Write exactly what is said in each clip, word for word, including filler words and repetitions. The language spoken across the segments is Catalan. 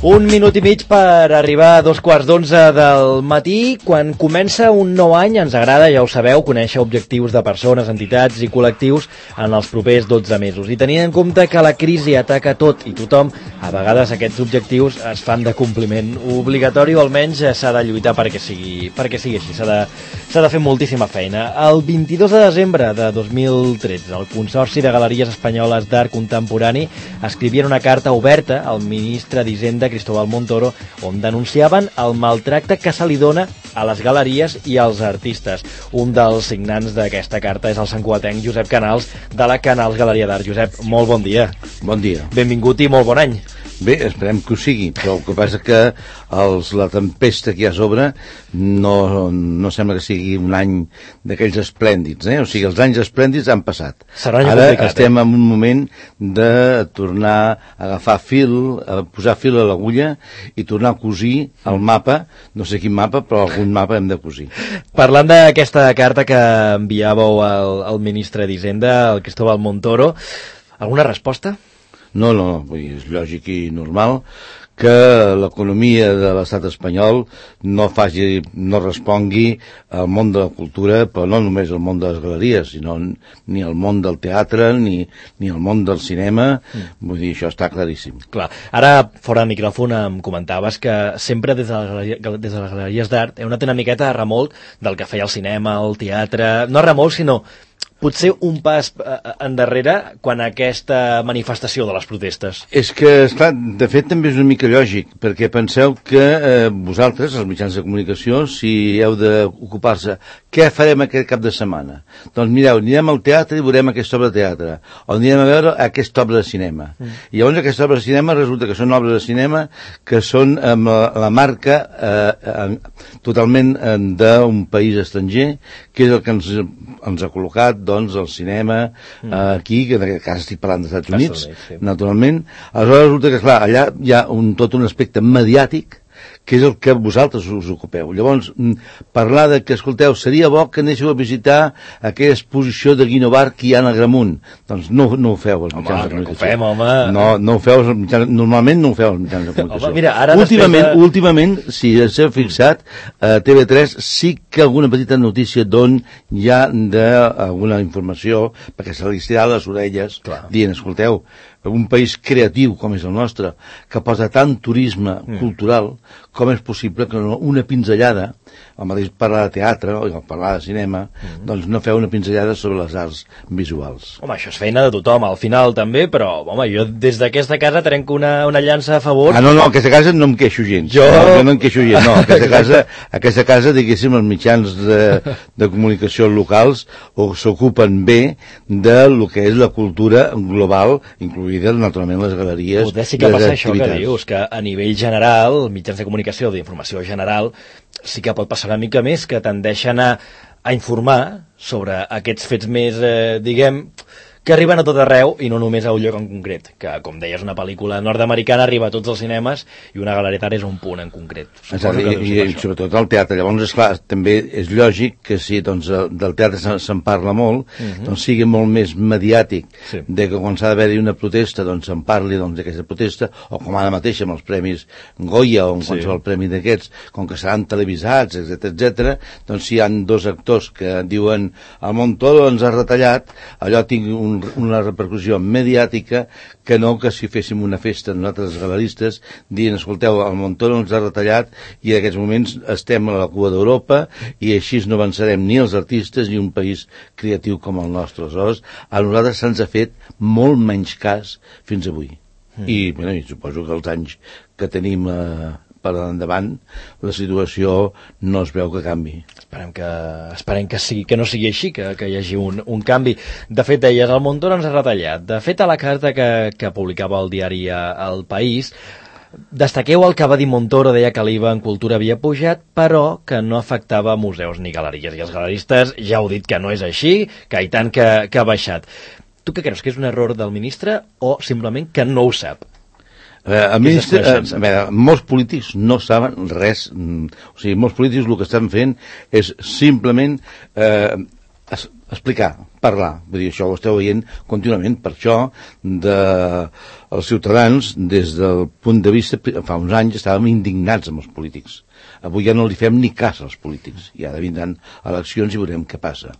Un minut i mig per arribar a dos quarts d'onze del matí. Quan comença un nou any ens agrada, ja ho sabeu, conèixer objectius de persones, entitats i col·lectius en els propers dotze mesos. I tenint en compte que la crisi ataca tot i tothom, a vegades aquests objectius es fan de compliment obligatori, o almenys s'ha de lluitar perquè sigui, perquè sigui així. S'ha de, s'ha de fer moltíssima feina. El vint-i-dos de desembre de dos mil tretze, el Consorci de Galeries Espanyoles d'Art Contemporani escrivien una carta oberta al ministre d'Hisenda, Cristóbal Montoro, on denunciaven el maltracte que se li dona a les galeries i als artistes. Un dels signants d'aquesta carta és el santcugatenc Josep Canals, de la Canals Galeria d'Art. Josep, molt bon dia. Bon dia. Benvingut i molt bon any. Bé, esperem que ho sigui, però el que passa que els, la tempesta que hi ha a sobre no, no sembla que sigui un any d'aquells esplèndids, eh? O sigui, els anys esplèndids han passat. Serà un any Ara complicat, estem eh? en un moment de tornar a agafar fil, a posar fil a l'agulla i tornar a cosir el mapa, no sé quin mapa, però algun mapa hem de cosir. Parlant d'aquesta carta que enviàveu al, al ministre d'Hisenda, el Cristóbal Montoro, alguna resposta? No, no, vull dir, és lògic i normal que l'economia de l'estat espanyol no faci, no respongui al món de la cultura, però no només al món de les galeries, sinó ni al món del teatre, ni, ni al món del cinema, mm. Vull dir, això està claríssim. Clar, ara, fora de micròfon, em comentaves que sempre des de, la, des de les galeries d'art heu anat una miqueta a remolc del que feia el cinema, el teatre, no a remolc, sinó potser un pas endarrere quan aquesta manifestació de les protestes. És que, esclar, de fet també és una mica lògic, perquè penseu que eh, vosaltres, els mitjans de comunicació, si heu d'ocupar-se, què farem aquest cap de setmana? Doncs mireu, anirem al teatre i veurem aquesta obra de teatre, o anirem a veure aquesta obra de cinema. Mm. I llavors aquesta obra de cinema resulta que són obres de cinema que són amb la, la marca eh, eh, totalment eh, d'un país estranger, que és el que ens, ens ha col·locat, doncs, el cinema, mm. eh, aquí, que en aquest cas estic parlant dels Estats Units, sí. Naturalment. Aleshores resulta que, clar, allà hi ha un, tot un aspecte mediàtic, que és el que vosaltres us ocupeu. Llavors, parlar de que, escolteu, seria bo que anéssim a visitar aquella exposició de Guinovart que hi ha en Agramunt. Doncs no, no ho feu, els mitjans home, de comunicació. Home, fem, home. No, no ho feu, els mitjans, normalment no ho feu, els mitjans de comunicació. Home, mira, ara últimament, de... últimament, si s'heu fixat, a T V tres sí que alguna petita notícia d'on hi ha d'alguna informació, perquè se li estira les orelles, clar, dient, escolteu, un país creatiu com és el nostre, que posa tant turisme mm. cultural, com és possible que una pinzellada, el mateix parlar de teatre o parlar de cinema, mm. doncs no feu una pinzellada sobre les arts visuals. Home, això és feina de tothom, al final també, però, home, jo des d'aquesta casa trenco una, una llança a favor. Ah, no, no, aquesta casa no em queixo gens. Jo, no, jo no em queixo gens, no. Aquesta casa, aquesta casa diguéssim, els mitjans de, de comunicació locals s'ocupen bé de lo que és la cultura global, incluïda, naturalment, les galeries. Poder sí que passa això que dius, que a nivell general, mitjans de comunicació, d'informació general, sí que pot passar una mica més, que tendeixen a, a informar sobre aquests fets més, eh, diguem, que arriben a tot arreu i no només a un lloc en concret, que, com deies, una pel·lícula nord-americana arriba a tots els cinemes i una galeria d'art és un punt en concret. Exacte, i, i sobretot el teatre. Llavors, esclar, també és lògic que si doncs, del teatre se'n parla molt, uh-huh. doncs sigui molt més mediàtic, sí. De que quan s'ha d'haver-hi una protesta doncs se'n parli doncs, d'aquesta protesta, o com ara mateix amb els premis Goya o en sí. qualsevol premi d'aquests, com que seran televisats, etcètera, etcètera, doncs si hi ha dos actors que diuen el Montoro ens ha retallat, allò tingui un una repercussió mediàtica que no que si féssim una festa nosaltres galeristes dient, escolteu, el Montoro ens ha retallat i en aquests moments estem a la cua d'Europa i així no avançarem ni els artistes ni un país creatiu com el nostre. Aleshores, a nosaltres se'ns ha fet molt menys cas fins avui. Mm. I, bueno, i suposo que els anys que tenim eh, per endavant, la situació no es veu que canvi. Esperem que, esperem que, sigui, que no sigui així, que, que hi hagi un, un canvi. De fet, deies, el Montoro ens ha retallat. De fet, a la carta que, que publicava el diari El País, destaqueu el que va dir Montoro, deia que l'I V A en cultura havia pujat, però que no afectava museus ni galeries. I els galeristes ja heu dit que no és així, que i tant que, que ha baixat. Tu què creus, que és un error del ministre o simplement que no ho sap? Eh, el ministre, eh, a veure, molts polítics no saben res, o sigui, molts polítics el que estan fent és simplement eh, explicar, parlar. Vull dir, això ho esteu veient contínuament. Per això, de, els ciutadans, des del punt de vista, fa uns anys estàvem indignats amb els polítics. Avui ja no li fem ni cas als polítics. I ara vindran eleccions i veurem què passa.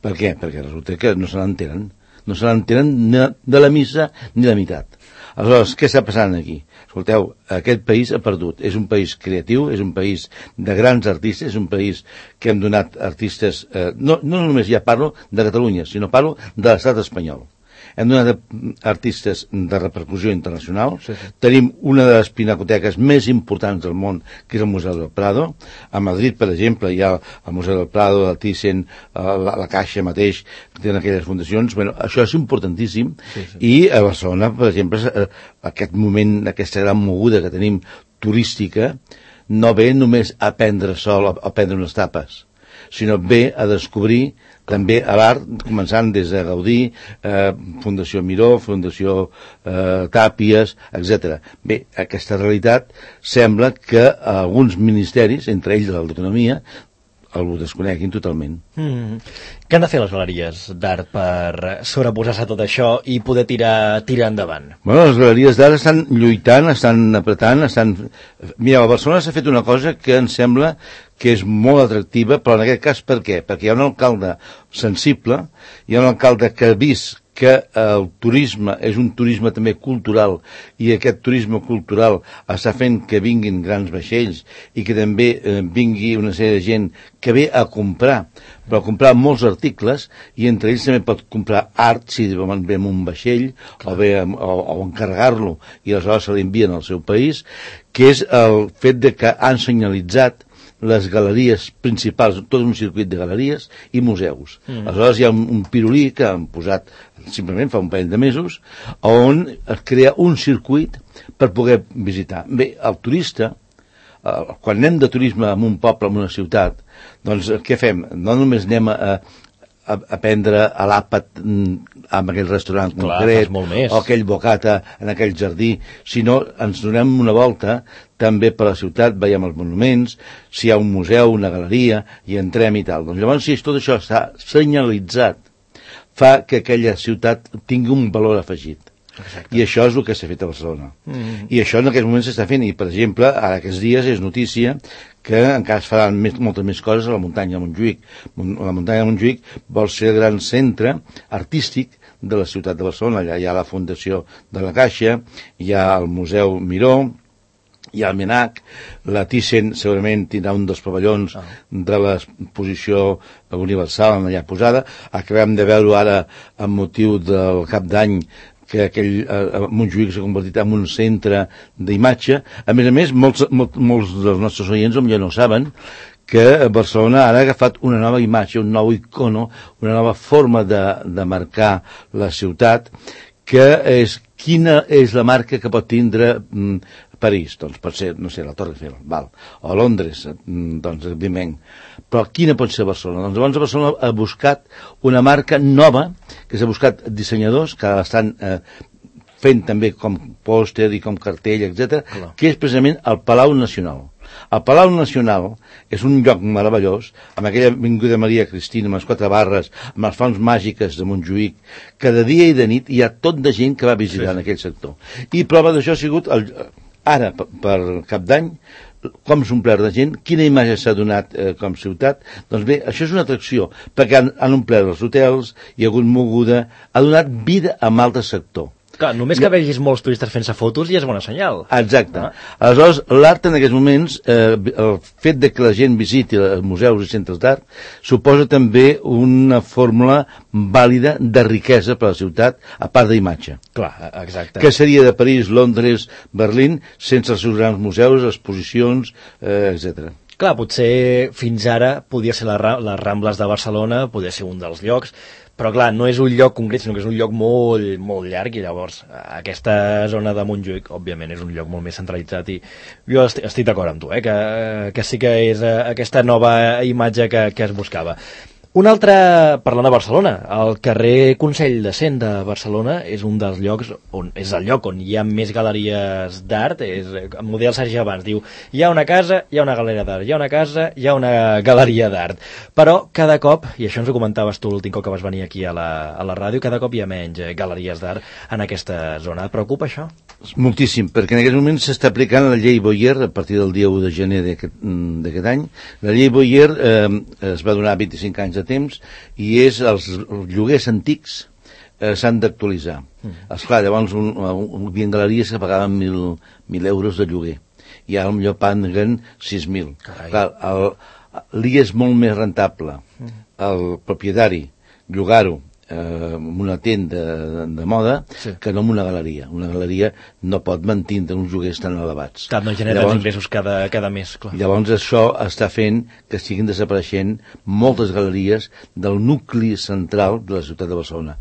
Per què? Perquè resulta que no se n'entenen. No se n'entenen de la missa ni de la meitat. Aleshores, què està passant aquí? Escolteu, aquest país ha perdut. És un país creatiu, és un país de grans artistes, és un país que hem donat artistes... Eh, no, no només ja parlo de Catalunya, sinó parlo de l'estat espanyol. Hem donat artistes de repercussió internacional. Sí, sí. Tenim una de les pinacoteques més importants del món, que és el Museu del Prado. A Madrid, per exemple, hi ha el Museu del Prado, el Thyssen, la, la Caixa mateix, que tenen aquelles fundacions. Bueno, això és importantíssim. Sí, sí. I a Barcelona, per exemple, aquest moment, aquesta gran moguda que tenim turística, no ve només a prendre sol, a prendre unes tapes, sinó ve a descobrir també a l'art, començant des de Gaudí, eh, Fundació Miró, Fundació eh, Tàpies, etcètera. Bé, aquesta realitat sembla que alguns ministeris, entre ells el d'Economia, el desconeguin totalment. Mm. Què han de fer les galeries d'art per sobreposar-se a tot això i poder tirar, tirar endavant? Bueno, les galeries d'art estan lluitant, estan apretant, estan... Mira, a Barcelona s'ha fet una cosa que em sembla que és molt atractiva, però en aquest cas per què? Perquè hi ha un alcalde sensible, hi ha un alcalde que ha vist que el turisme és un turisme també cultural i aquest turisme cultural està fent que vinguin grans vaixells i que també eh, vingui una sèrie de gent que ve a comprar, però a comprar molts articles i entre ells també pot comprar art si ve amb un vaixell o, ve, o, o encarregar-lo i aleshores se l'envien al seu país, que és el fet de que han senyalitzat les galeries principals, tot un circuit de galeries i museus. Mm. Aleshores hi ha un, un pirulí que han posat simplement fa un parell de mesos on es crea un circuit per poder visitar. Bé, el turista, eh, quan anem de turisme en un poble, en una ciutat, doncs què fem? No només anem a, a, a prendre a l'àpat en aquell restaurant Clar, concret o aquell bocata en aquell jardí, sinó ens donem una volta també per la ciutat, veiem els monuments, si hi ha un museu, una galeria, i entrem i tal. Doncs llavors, si tot això està senyalitzat, fa que aquella ciutat tingui un valor afegit. Exacte. I això és el que s'ha fet a Barcelona. Mm-hmm. I això en aquests moments s'està fent, i per exemple, ara aquests dies és notícia que encara es faran més, moltes més coses a la muntanya de Montjuïc. La muntanya de Montjuïc vol ser el gran centre artístic de la ciutat de Barcelona. Allà hi ha la Fundació de la Caixa, hi ha el Museu Miró, hi ha el Menac, la Thyssen segurament tindrà un dels pavellons ah. de l'exposició universal allà posada. Acabem de veure ara, amb motiu del cap d'any, que aquell eh, Montjuïc s'ha convertit en un centre d'imatge. A més a més, molts, molts, molts dels nostres oients ja no saben que Barcelona ara ha agafat una nova imatge, un nou icono, una nova forma de, de marcar la ciutat, que és quina és la marca que pot tindre mm, París, doncs pot ser, no sé, la Torre Eiffel, val, o Londres, doncs evidentment. Però quina pot ser Barcelona? Doncs llavors Barcelona ha buscat una marca nova, que s'ha buscat dissenyadors que estan eh, fent també com pòster i com cartell, etcètera, que és precisament el Palau Nacional. El Palau Nacional és un lloc meravellós, amb aquella Avinguda Maria Cristina, amb les quatre barres, amb les fonts màgiques de Montjuïc, que de dia i de nit hi ha tot de gent que va visitar sí. en aquell sector. I prova d'això ha sigut, el, ara, per, per cap d'any, com s'ha omplert de gent, quina imatge s'ha donat eh, com ciutat. Doncs bé, això és una atracció, perquè han, han omplert els hotels, hi ha hagut moguda, ha donat vida a un altre sector. Clar, només que vegis molts turistes fent-se fotos ja és bona senyal. Exacte. Ah. Aleshores, l'art en aquests moments, eh, el fet de que la gent visiti els museus i centres d'art, suposa també una fórmula vàlida de riquesa per a la ciutat, a part d'imatge. Clar, exacte. Què seria de París, Londres, Berlín, sense els seus grans museus, exposicions, eh, etcètera. Clar, potser fins ara podia ser la, les Rambles de Barcelona, podia ser un dels llocs, però clar, no és un lloc concret, sinó que és un lloc molt, molt llarg, i llavors aquesta zona de Montjuïc, òbviament, és un lloc molt més centralitzat, i jo estic, estic d'acord amb tu, eh, que, que sí que és aquesta nova imatge que, que es buscava. Un altre, parlant de Barcelona, el carrer Consell de Cent de Barcelona és un dels llocs, on és el lloc on hi ha més galeries d'art, és el model Sergi abans, diu, hi ha una casa, hi ha una galeria d'art, hi ha una casa, hi ha una galeria d'art. Però cada cop, i això ens ho comentaves tu l'últim cop que vas venir aquí a la, a la ràdio, cada cop hi ha menys galeries d'art en aquesta zona. Et preocupa això? Moltíssim, perquè en aquest moment s'està aplicant la llei Boyer a partir del dia u de gener d'aquest any. La llei Boyer eh, es va donar vint-i-cinc anys de temps i és els lloguers antics eh, s'han d'actualitzar. Mm. Esclar, llavors un, un, hi havia galeries que pagaven mil, mil euros de lloguer i ara potser paguen sis mil. Clar, l'I és molt més rentable mm. el propietari llogar-ho eh, en una tenda de, de moda sí. que no en una galeria. Una galeria no pot mantindre uns lloguers tan elevats. Clar, no genera llavors, ingressos cada, cada mes. Clar. Llavors això està fent que estiguin desapareixent moltes galeries del nucli central de la ciutat de Barcelona.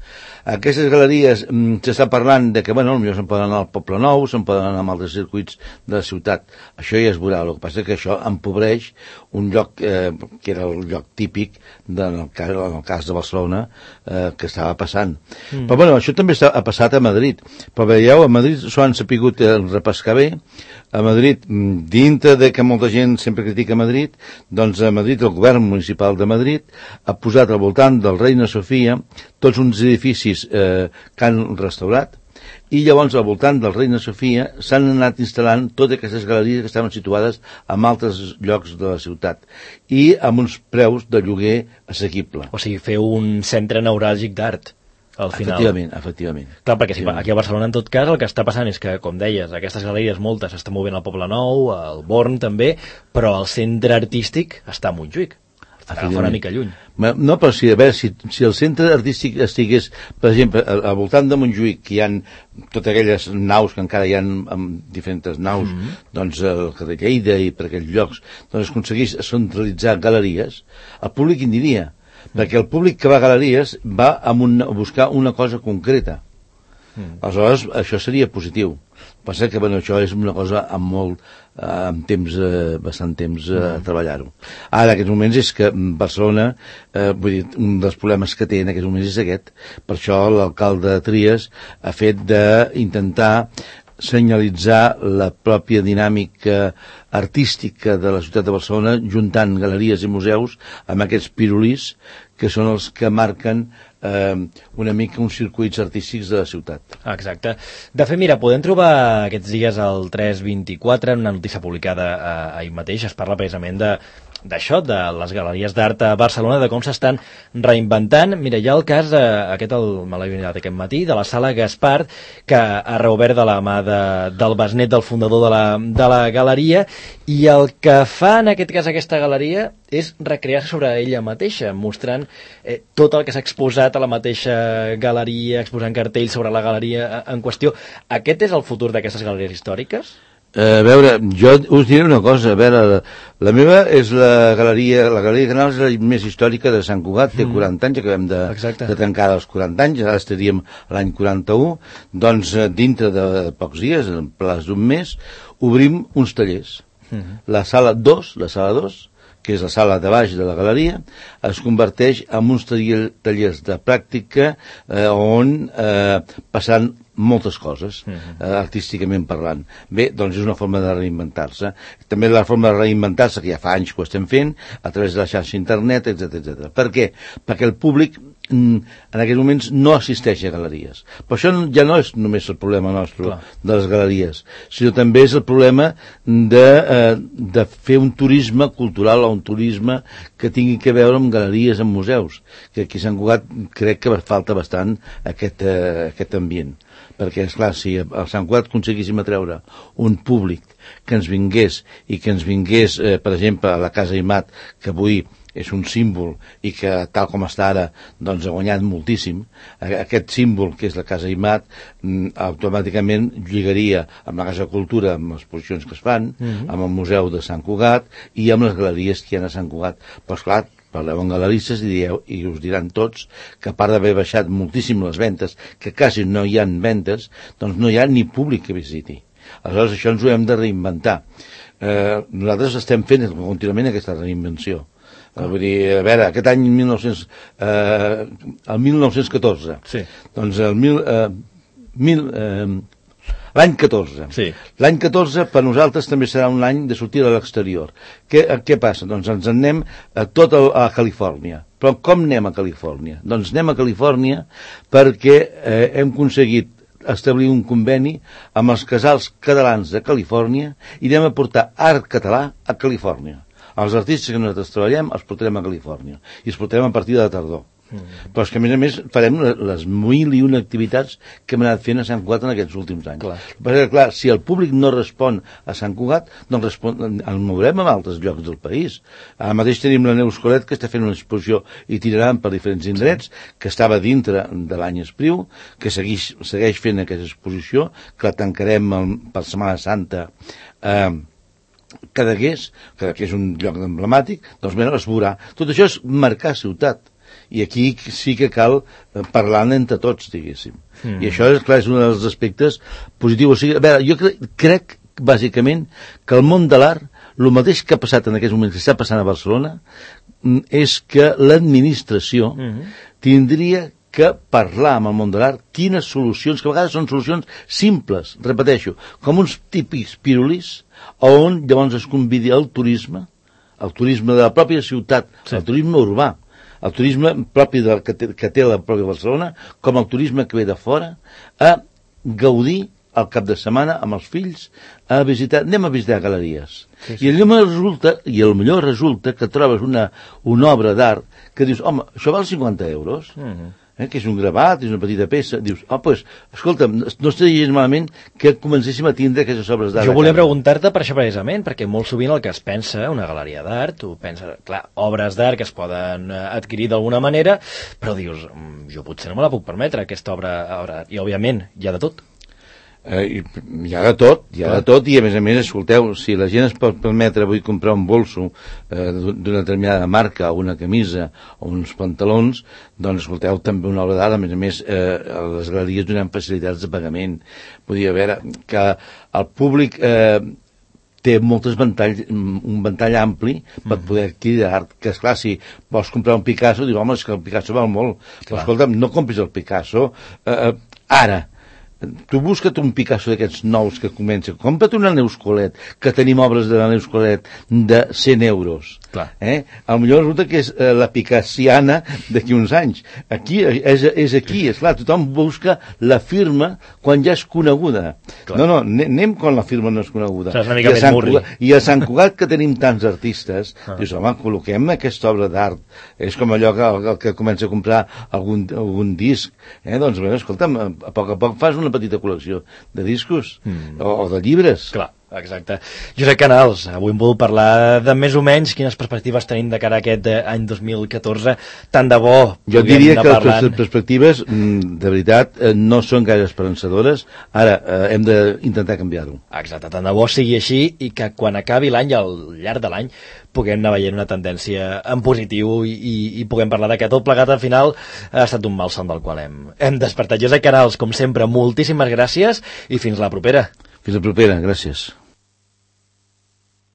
Aquestes galeries mm, s'està parlant de que, bueno, potser se'n poden anar al Poble Nou, se'n poden anar a altres circuits de la ciutat. Això ja es veurà. El que passa és que això empobreix un lloc eh, que era el lloc típic de, en, el cas, en el cas de Barcelona eh, que estava passant. Mm. Però bueno, això també està, ha passat a Madrid. Però veieu, a Madrid s'ho han sapigut eh, repescar bé. A Madrid, dintre de que molta gent sempre critica Madrid, doncs a Madrid, el govern municipal de Madrid ha posat al voltant del Reina Sofia tots uns edificis eh, que han restaurat, i llavors al voltant del Reina Sofia s'han anat instal·lant totes aquestes galeries que estaven situades en altres llocs de la ciutat i amb uns preus de lloguer assequible. O sigui, fer un centre neuràlgic d'art al final. Efectivament, efectivament. Clar, perquè si aquí a Barcelona, en tot cas, el que està passant és que, com deies, aquestes galeries moltes s'estan movent al Poble Nou, al Born també, però el centre artístic està a Montjuïc. Està una mica lluny. No, però si, a veure, si, si el centre artístic estigués, per exemple, al, al voltant de Montjuïc, que hi ha totes aquelles naus, que encara hi ha amb diferents naus, mm -hmm. doncs el carrer Lleida i per aquells llocs, doncs es aconseguís centralitzar galeries, el públic hi aniria. Perquè el públic que va a galeries va a, un, a buscar una cosa concreta. Mm. Aleshores, això seria positiu. Passa que, bueno, això és una cosa amb molt, eh, amb temps, eh, bastant temps eh, mm. a treballar-ho. Ara, en aquests moments, és que Barcelona, eh, vull dir, un dels problemes que té en aquests moments és aquest. Per això l'alcalde Trias ha fet d'intentar senyalitzar la pròpia dinàmica artística de la ciutat de Barcelona, juntant galeries i museus amb aquests pirulís que són els que marquen eh, una mica uns circuits artístics de la ciutat. Exacte. De fet, mira, podem trobar aquests dies al tres vint-i-quatre, una notícia publicada eh, ahir mateix, es parla precisament de d'això, de les galeries d'art a Barcelona, de com s'estan reinventant. Mira, hi ha el cas, eh, aquest el, me l'he mirat aquest matí, de la Sala Gaspar, que ha reobert de la mà de, del besnet del fundador de la, de la galeria, i el que fa en aquest cas aquesta galeria és recrear-se sobre ella mateixa, mostrant eh, tot el que s'ha exposat a la mateixa galeria, exposant cartells sobre la galeria en qüestió. Aquest és el futur d'aquestes galeries històriques? A veure, jo us diré una cosa, a veure, la, la meva és la galeria, la galeria Canals és la més històrica de Sant Cugat, té mm. quaranta anys, acabem de, de tancar els quaranta anys, ara estaríem l'any quaranta-u, doncs dintre de pocs dies, en plaç d'un mes, obrim uns tallers. Mm. La sala dos, la sala dos, que és la sala de baix de la galeria, es converteix en uns tallers de pràctica eh, on eh, passant moltes coses, uh-huh. eh, artísticament parlant. Bé, doncs és una forma de reinventar-se. També la forma de reinventar-se, que ja fa anys que ho estem fent, a través de la xarxa internet, etcètera, etcètera. Per què? Perquè el públic en aquests moments no assisteix a galeries. Però això ja no és només el problema nostre Clar. de les galeries, sinó també és el problema de, eh, de fer un turisme cultural o un turisme que tingui que veure amb galeries, amb museus, que aquí a Sant Cugat crec que falta bastant aquest, eh, aquest ambient. Perquè, esclar, si a Sant Cugat aconseguíssim atreure un públic que ens vingués i que ens vingués, eh, per exemple, a la Casa Imat, que avui és un símbol i que, tal com està ara, doncs ha guanyat moltíssim, aquest símbol que és la Casa Imat automàticament lligaria amb la Casa Cultura, amb les exposicions que es fan, mm-hmm. amb el Museu de Sant Cugat i amb les galeries que hi ha a Sant Cugat. Però, esclar, parleu amb galeristes i, dieu, i us diran tots que a part d'haver baixat moltíssim les ventes, que quasi no hi ha ventes, doncs no hi ha ni públic que visiti. Aleshores això ens ho hem de reinventar. Eh, nosaltres estem fent contínuament aquesta reinvenció. Ah. Vull dir, a veure, aquest any mil nou-cents, eh, el mil nou-cents catorze, sí. doncs el mil, eh, mil, eh, l'any catorze. Sí. L'any catorze per nosaltres també serà un any de sortir a l'exterior. Què, què passa? Doncs ens en anem a tot el, a Califòrnia. Però com anem a Califòrnia? Doncs anem a Califòrnia perquè eh, hem aconseguit establir un conveni amb els casals catalans de Califòrnia i anem a portar art català a Califòrnia. Els artistes que nosaltres treballem els portarem a Califòrnia i els portarem a partir de la tardor. Mm. Però és que a més a més farem les mil i una activitats que hem anat fent a Sant Cugat en aquests últims anys. Clar. Perquè, clar, si el públic no respon a Sant Cugat, doncs respon, el mourem a altres llocs del país. Ara mateix tenim la Neus Colet, que està fent una exposició itinerant per diferents indrets, que estava dintre de l'any Espriu, que segueix, segueix fent aquesta exposició, que la tancarem el, per Setmana Santa eh, Cadaqués, que és un lloc emblemàtic, doncs bé, es veurà. Tot això és marcar ciutat. I aquí sí que cal parlar entre tots, diguéssim. Mm. I això, és clar, és un dels aspectes positius. O sigui, a veure, jo crec, crec, bàsicament, que el món de l'art, el mateix que ha passat en aquests moments, que està passant a Barcelona, és que l'administració mm-hmm. tindria que parlar amb el món de l'art quines solucions, que a vegades són solucions simples, repeteixo, com uns típics pirulis, on llavors es convidi el turisme, el turisme de la pròpia ciutat, sí. El turisme urbà, el turisme propi de, que, té, que té la pròpia Barcelona, com el turisme que ve de fora, a gaudir al cap de setmana amb els fills, a visitar, anem a visitar galeries. Sí, sí. I allò resulta, i el millor resulta que trobes una, una obra d'art que dius, home, això val cinquanta euros, mm-hmm. eh, que és un gravat, és una petita peça, dius, oh, pues, escolta'm, no estaria gens malament que comencéssim a tindre aquestes obres d'art. Jo volia preguntar-te per això precisament, perquè molt sovint el que es pensa, una galeria d'art, tu penses, clar, obres d'art que es poden adquirir d'alguna manera, però dius, jo potser no me la puc permetre, aquesta obra, obra i òbviament hi ha de tot. Eh, hi ha de tot, hi ha de tot, i a més a més, escolteu, si la gent es pot permetre avui comprar un bolso eh, d'una determinada marca, o una camisa, o uns pantalons, doncs escolteu, també una obra d'art, a més a més, eh, les galeries donen facilitats de pagament. Podia veure que el públic eh, té moltes ventalls, un ventall ampli per poder adquirir art, que esclar, si vols comprar un Picasso, dius, home, és que el Picasso val molt, però escolta'm, no compris el Picasso eh, ara. Tu busca't un Picasso d'aquests nous que comença, compra't una Neus Colet, que tenim obres de la Neus Colet de cent euros. Clar. Eh? A lo millor resulta que és eh, la picassiana d'aquí uns anys. Aquí és, és aquí, és clar, tothom busca la firma quan ja és coneguda. Clar. No, no, anem quan la firma no és coneguda. Una mica I, a Cugat, I a Sant Cugat, que tenim tants artistes, ah. dius, home, col·loquem aquesta obra d'art. És com allò que, el que comença a comprar algun, algun disc. Eh? Doncs, bé, escolta'm, a poc a poc fas una petita col·lecció de discos mm. o, o de llibres. Clar. Exacte. Josep Canals, avui hem volgut parlar de més o menys quines perspectives tenim de cara a aquest any dos mil catorze. Tant de bo... Jo diria que parlant... les perspectives, de veritat, no són gaire esperançadores. Ara, eh, hem d'intentar canviar-ho. Exacte, tant de bo sigui així i que quan acabi l'any, al llarg de l'any, puguem anar veient una tendència en positiu i, i, i puguem parlar que tot plegat al final ha estat un malson del qual hem, hem despertat. Josep Canals, com sempre, moltíssimes gràcies i fins la propera. Fins la propera, gràcies.